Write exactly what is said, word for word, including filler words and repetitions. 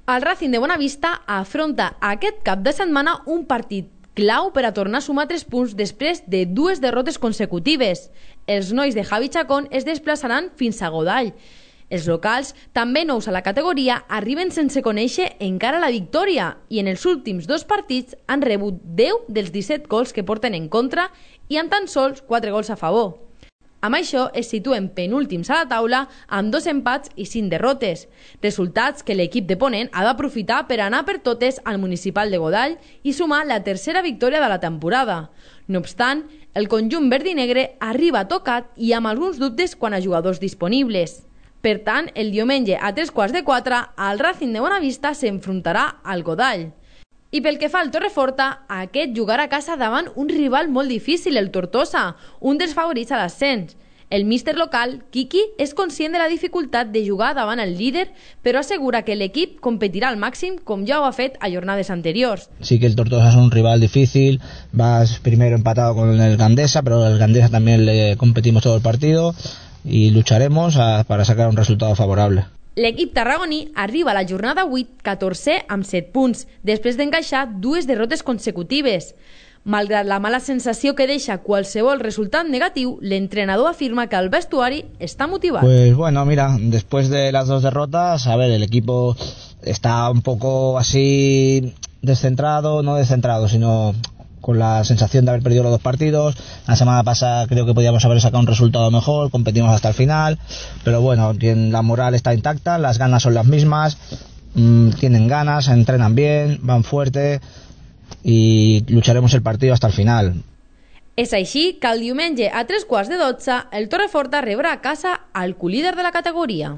El Racing de Bonavista afronta aquest cap de setmana un partit clau per a tornar a sumar tres punts després de dues derrotes consecutives. Els nois de Javi Chacón es desplaçaran fins a Godall. Els locals, també nous a la categoria, arriben sense conèixer encara la victòria i en els últims dos partits han rebut deu dels disset gols que porten en contra i amb tan sols quatre gols a favor. Amb això es situen penúltims a la taula amb dos empats i cinc derrotes, resultats que l'equip de Ponent ha d'aprofitar per anar per totes al municipal de Godall i sumar la tercera victòria de la temporada. No obstant, el conjunt verd i negre arriba tocat i amb alguns dubtes quant a jugadors disponibles. Per tant, el diumenge a tres quarts de quatre, el Racing de Bonavista s'enfrontarà al Godall. I pel que fa al Torreforta, aquest jugarà a casa davant un rival molt difícil, el Tortosa, un dels favorits a l'ascens. El míster local, Kiki, és conscient de la dificultat de jugar davant el líder, però assegura que l'equip competirà al màxim com ja ho ha fet a jornades anteriors. Sí que el Tortosa es un rival difícil, vas primero empatado con el Gandesa, pero el Gandesa también le competimos todo el partido y lucharemos a, para sacar un resultado favorable. L'equip tarragoní arriba a la jornada vuit catorzè amb set punts, després d'encaixar dues derrotes consecutives. Malgrat la mala sensació que deixa qualsevol resultat negatiu, l'entrenador afirma que el vestuari està motivat. Pues bueno, mira, después de las dos derrotas, a ver, el equipo está un poco así descentrado, no descentrado, sino con la sensación de haber perdido los dos partidos. La semana pasada creo que podíamos haber sacado un resultado mejor, competimos hasta el final, pero bueno, la moral está intacta, las ganas son las mismas, mmm, tienen ganas, entrenan bien, van fuerte y lucharemos el partido hasta el final. És així que el diumenge a tres quarts de dotze el Torreforta rebrà a casa al colíder de la categoria.